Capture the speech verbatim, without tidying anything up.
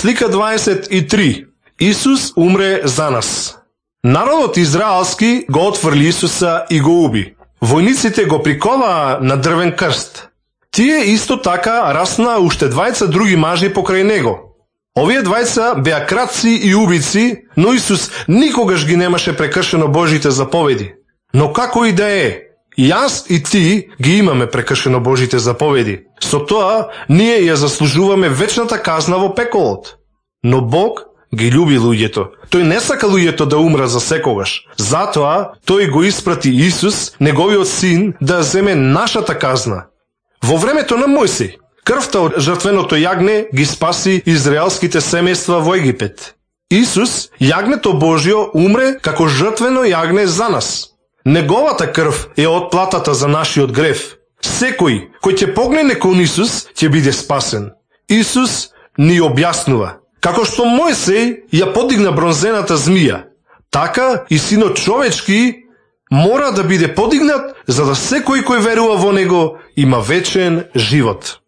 Слика дваесет и три. Исус умре за нас. Народот израелски го отфрли Исуса и го уби. Војниците го приковаа на дрвен крст. Тие исто така раснаа уште двајца други мажи покрај него. Овие двајца беа крадци и убици, но Исус никогаш ги немаше прекршено Божите заповеди. Но како и да е, јас и ти ги имаме прекршено Божите заповеди. Со тоа, ние ја заслужуваме вечната казна во пеколот. Но Бог ги љуби луѓето. Тој не сака луѓето да умра за секогаш. Затоа, тој го испрати Исус, неговиот син, да земе нашата казна. Во времето на Мојсей, крвта од жртвеното јагне ги спаси израелските семејства во Египет. Исус, јагнето Божјо, умре како жртвено јагне за нас. Неговата крв е отплатата за нашиот грев. Секој кој ќе погледне кон Исус ќе биде спасен. Исус ни објаснува: како што Мојсей ја подигна бронзената змија, така и синот човечки мора да биде подигнат, за да секој кој верува во него има вечен живот.